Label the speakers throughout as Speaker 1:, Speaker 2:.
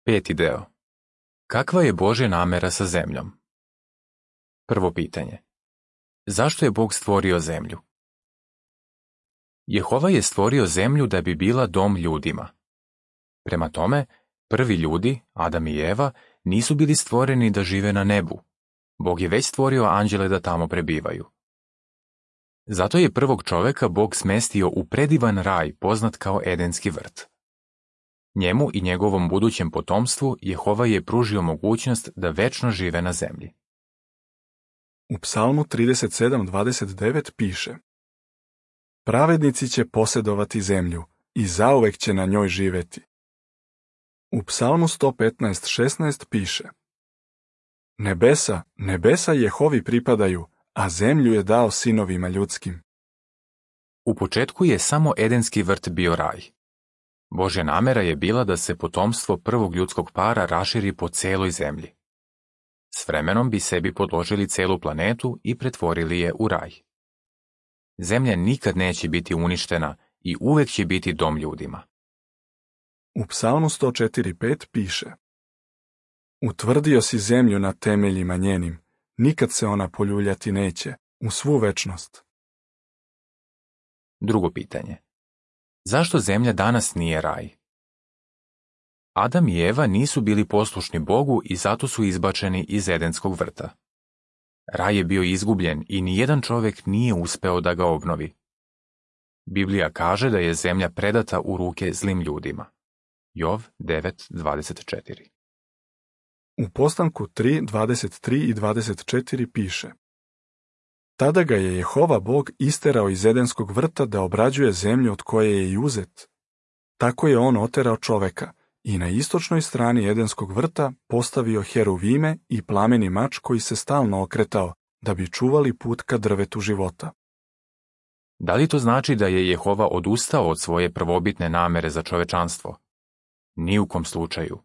Speaker 1: Peti deo. Kakva je Božja namera sa zemljom? Prvo pitanje. Zašto je Bog stvorio zemlju? Jehova je stvorio zemlju da bi bila dom ljudima. Prema tome, prvi ljudi, Adam i Eva, nisu bili stvoreni da žive na nebu. Bog je već stvorio anđele da tamo prebivaju. Zato je prvog čoveka Bog smestio u predivan raj poznat kao Edenski vrt. Njemu i njegovom budućem potomstvu Jehova je pružio mogućnost da večno žive na zemlji.
Speaker 2: U Psalmu 37:29 piše: Pravednici će posjedovati zemlju i zauvek će na njoj živeti. U Psalmu 115:16 piše: Nebesa Jehovi pripadaju, a zemlju je dao sinovima ljudskim.
Speaker 1: U početku je samo Edenski vrt bio raj. Božja namera je bila da se potomstvo prvog ljudskog para raširi po celoj zemlji. S vremenom bi sebi podložili celu planetu i pretvorili je u raj. Zemlja nikad neće biti uništena i uvek će biti dom ljudima.
Speaker 2: U Psalmu 104:5 piše: Utvrdio si zemlju na temeljima njenim, nikad se ona poljuljati neće, u svu večnost.
Speaker 1: Drugo pitanje. Zašto zemlja danas nije raj? Adam i Eva nisu bili poslušni Bogu i zato su izbačeni iz Edenskog vrta. Raj je bio izgubljen i nijedan čovjek nije uspeo da ga obnovi. Biblija kaže da je zemlja predata u ruke zlim ljudima. Jov 9:24.
Speaker 2: U Postanku 3:23 i 24 piše: Tada ga je Jehova Bog isterao iz Edenskog vrta da obrađuje zemlju od koje je i uzet. Tako je on oterao čoveka i na istočnoj strani Edenskog vrta postavio heruvime i plameni mač koji se stalno okretao, da bi čuvali put ka drvetu života.
Speaker 1: Da li to znači da je Jehova odustao od svoje prvobitne namere za čovečanstvo? Ni u kom slučaju.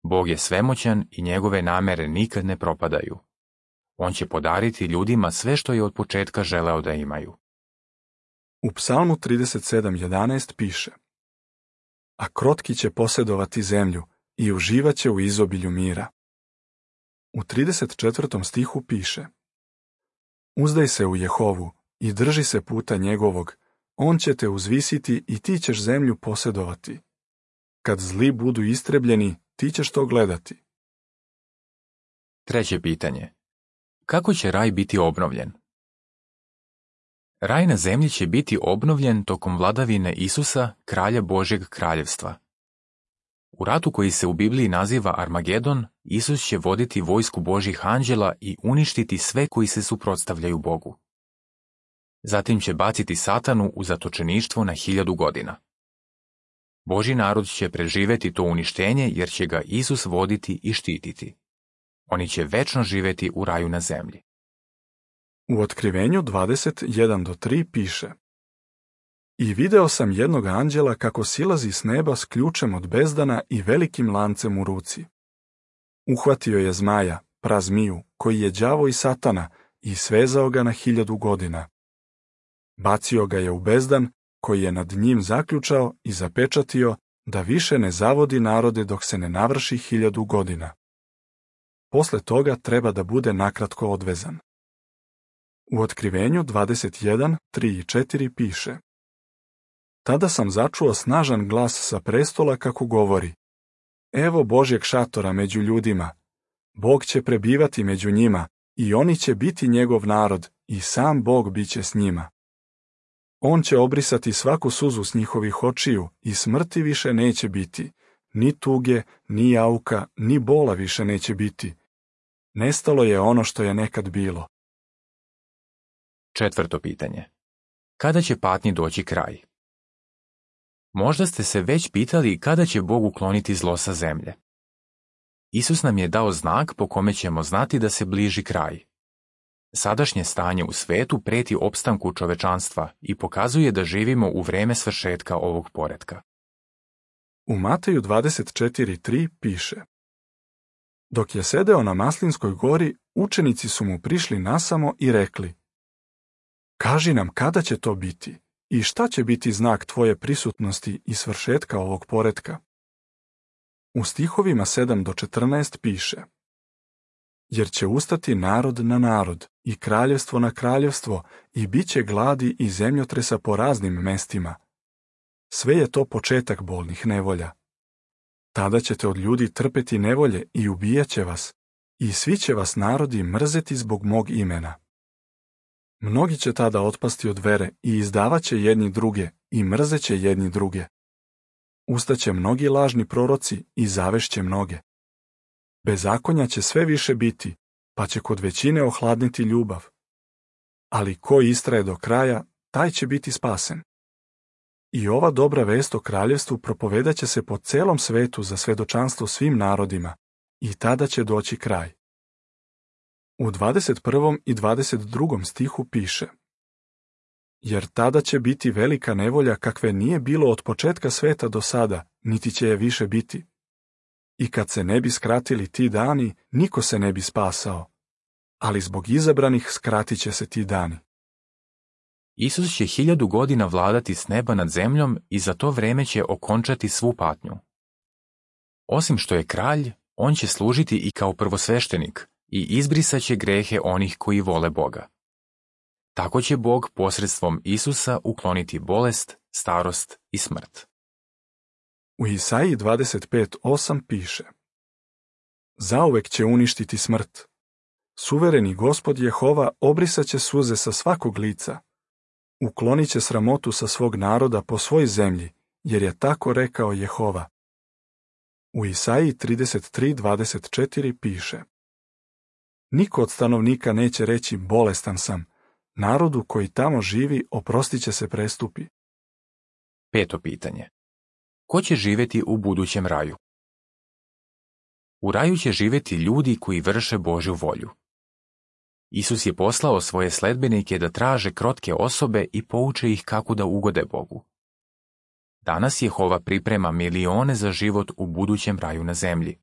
Speaker 1: Bog je svemoćan i njegove namere nikad ne propadaju. On će podariti ljudima sve što je od početka želeo da imaju.
Speaker 2: U Psalmu 37:11 piše: A krotki će posjedovati zemlju i uživaće u izobilju mira. U 34. stihu piše: Uzdaj se u Jehovu i drži se puta njegovog, on će te uzvisiti i ti ćeš zemlju posjedovati. Kad zli budu istrebljeni, ti ćeš to gledati.
Speaker 1: Treće pitanje. Kako će raj biti obnovljen? Raj na zemlji će biti obnovljen tokom vladavine Isusa, kralja Božjeg kraljevstva. U ratu koji se u Bibliji naziva Armagedon, Isus će voditi vojsku Božjih anđela i uništiti sve koji se suprotstavljaju Bogu. Zatim će baciti Satanu u zatočeništvo na 1000 godina. Božji narod će preživeti to uništenje jer će ga Isus voditi i štititi. Oni će večno živeti u raju na zemlji.
Speaker 2: U Otkrivenju 21:3 piše: I video sam jednog anđela kako silazi s neba s ključem od bezdana i velikim lancem u ruci. Uhvatio je zmaja, prazmiju, koji je đavo i Satana, i svezao ga na 1000 godina. Bacio ga je u bezdan, koji je nad njim zaključao i zapečatio, da više ne zavodi narode dok se ne navrši 1000 godina. Posle toga treba da bude nakratko odvezan. U Otkrivenju 21:3 i 4 piše: Tada sam začuo snažan glas sa prestola kako govori: Evo Božjeg šatora među ljudima. Bog će prebivati među njima i oni će biti njegov narod i sam Bog biće s njima. On će obrisati svaku suzu s njihovih očiju i smrti više neće biti, ni tuge, ni jauka, ni bola više neće biti. Nestalo je ono što je nekad bilo.
Speaker 1: Četvrto pitanje. Kada će patnji doći kraj? Možda ste se već pitali kada će Bog ukloniti zlo sa zemlje. Isus nam je dao znak po kome ćemo znati da se bliži kraj. Sadašnje stanje u svetu preti opstanku čovečanstva i pokazuje da živimo u vreme svršetka ovog poretka.
Speaker 2: U Mateju 24:3 piše: Dok je sedeo na Maslinskoj gori, učenici su mu prišli nasamo i rekli: Kaži nam kada će to biti i šta će biti znak tvoje prisutnosti i svršetka ovog poretka? U stihovima 7 do 14 piše: Jer će ustati narod na narod i kraljevstvo na kraljevstvo i bit će gladi i zemljotresa po raznim mestima. Sve je to početak bolnih nevolja. Tada ćete od ljudi trpeti nevolje i ubijat će vas, i svi će vas narodi mrzeti zbog mog imena. Mnogi će tada otpasti od vere i izdavat će jedni druge i mrzeće jedni druge. Ustaće mnogi lažni proroci i zavešće mnoge. Bezakonja će sve više biti, pa će kod većine ohladniti ljubav. Ali ko istraje do kraja, taj će biti spasen. I ova dobra vest o kraljevstvu propovedat će se po celom svetu za svedočanstvo svim narodima, i tada će doći kraj. U 21. i 22. stihu piše: Jer tada će biti velika nevolja kakve nije bilo od početka sveta do sada, niti će je više biti. I kad se ne bi skratili ti dani, niko se ne bi spasao. Ali zbog izabranih skratit će se ti dani.
Speaker 1: Isus će 1000 godina vladati s neba nad zemljom i za to vreme će okončati svu patnju. Osim što je kralj, on će služiti i kao prvosveštenik i izbrisat će grehe onih koji vole Boga. Tako će Bog posredstvom Isusa ukloniti bolest, starost i smrt.
Speaker 2: U Isaiji 25:8 piše: Zauvek će uništiti smrt. Suvereni Gospod Jehova obrisat će suze sa svakog lica. Uklonit će sramotu sa svog naroda po svoj zemlji, jer je tako rekao Jehova. U Isaiji 33:24 piše: Niko od stanovnika neće reći bolestan sam, narodu koji tamo živi oprostit će se prestupi.
Speaker 1: 5. pitanje. Ko će živjeti u budućem raju? U raju će živjeti ljudi koji vrše Božju volju. Isus je poslao svoje sledbenike da traže krotke osobe i pouče ih kako da ugode Bogu. Danas Jehova priprema milione za život u budućem raju na zemlji.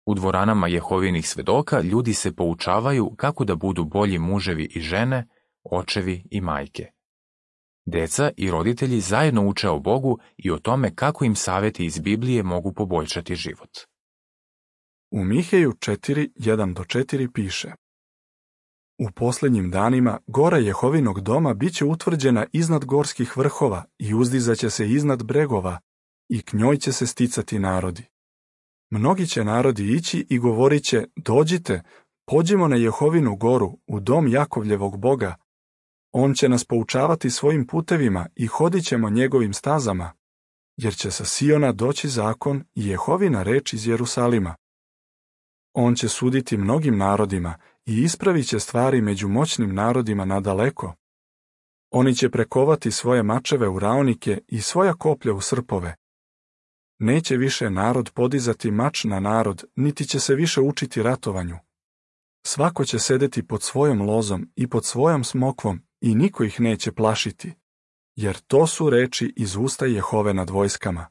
Speaker 1: U dvoranama Jehovinih svedoka ljudi se poučavaju kako da budu bolji muževi i žene, očevi i majke. Deca i roditelji zajedno uče o Bogu i o tome kako im savjeti iz Biblije mogu poboljšati život.
Speaker 2: U Miheju 4:1-4 piše: U posljednjim danima gora Jehovinog doma bit će utvrđena iznad gorskih vrhova i uzdizaće se iznad bregova i k njoj će se sticati narodi. Mnogi će narodi ići i govorit će: Dođite, pođimo na Jehovinu goru, u dom Jakovljevog Boga. On će nas poučavati svojim putevima i hodit ćemo njegovim stazama, jer će sa Siona doći zakon i Jehovina reč iz Jerusalima. On će suditi mnogim narodima i ispravit će stvari među moćnim narodima nadaleko. Oni će prekovati svoje mačeve u raonike i svoja koplja u srpove. Neće više narod podizati mač na narod, niti će se više učiti ratovanju. Svako će sedeti pod svojom lozom i pod svojom smokvom i niko ih neće plašiti, jer to su reči iz usta Jehove nad vojskama.